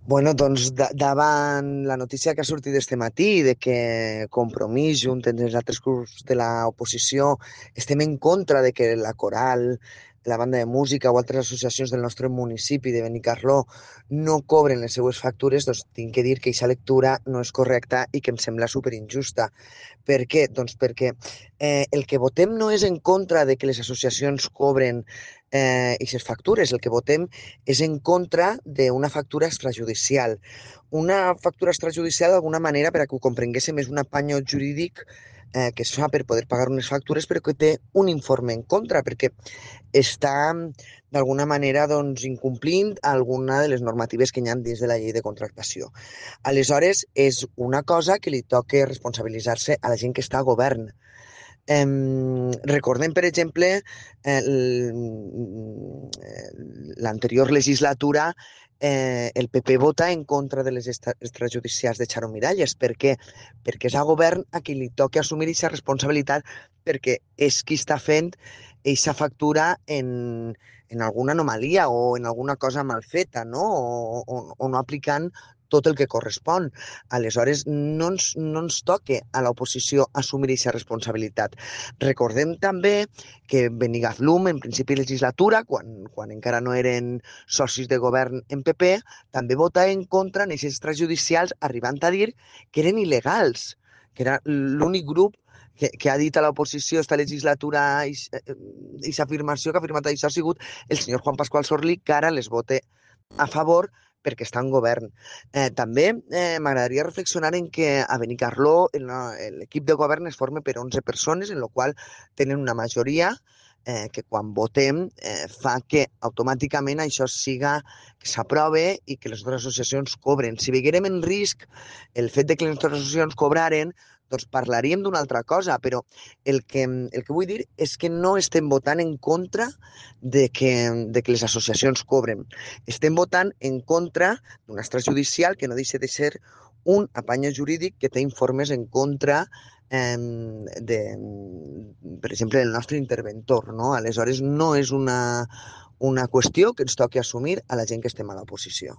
Bueno, doncs davant la notícia que ha sortit este matí de que Compromís, junt amb els altres grups de l'oposició, estem en contra de que la Coral, la banda de música o altres associacions del nostre municipi de Benicarló no cobren les seues factures, doncs tinc que dir que aquesta lectura no és correcta i que em sembla superinjusta. Per què? Doncs perquè el que votem no és en contra de que les associacions cobren aquestes factures, el que votem és en contra d'una factura extrajudicial. Una factura extrajudicial, d'alguna manera, per a que ho comprenguéssim, és un apany jurídic que es fa per poder pagar unes factures, però que té un informe en contra, perquè està, d'alguna manera, doncs, incomplint alguna de les normatives que hi ha dins de la llei de contractació. Aleshores, és una cosa que li toca responsabilitzar-se a la gent que està a govern. Recordem, per exemple, l'anterior legislatura, el PP vota en contra de les extrajudicials de Charo Miralles. Per què? Perquè és a govern a qui li toca assumir aquesta responsabilitat perquè és qui està fent aquesta factura en alguna anomalia o en alguna cosa mal feta, no? O no aplicant tot el que correspon. Aleshores, no ens toca a l'oposició assumir aquesta responsabilitat. Recordem també que Benigathlum, en principi de legislatura, quan encara no eren socis de govern en PP, també vota en contra en aquests extrajudicials, arribant a dir que eren il·legals, que era l'únic grup que ha dit a l'oposició esta legislatura aquesta afirmació que ha afirmat això ha sigut el senyor Juan Pascual Sorli, que ara les vote a favor perquè està en govern. També m'agradaria reflexionar en que a Benicarló l'equip de govern es forma per 11 persones, en la qual tenen una majoria que quan votem fa que automàticament això siga que s'aprove i que les altres associacions cobren. Si veguérem en risc el fet de que les altres associacions cobraren, doncs parlaríem d'una altra cosa, però el que vull dir és que no estem votant en contra de que les associacions cobren. Estem votant en contra d'un extrajudicial que no deixa de ser un apanya jurídic que té informes en contra de, per exemple, del nostre interventor, no? Aleshores, no és una qüestió que ens toqui assumir a la gent que estem a l'oposició.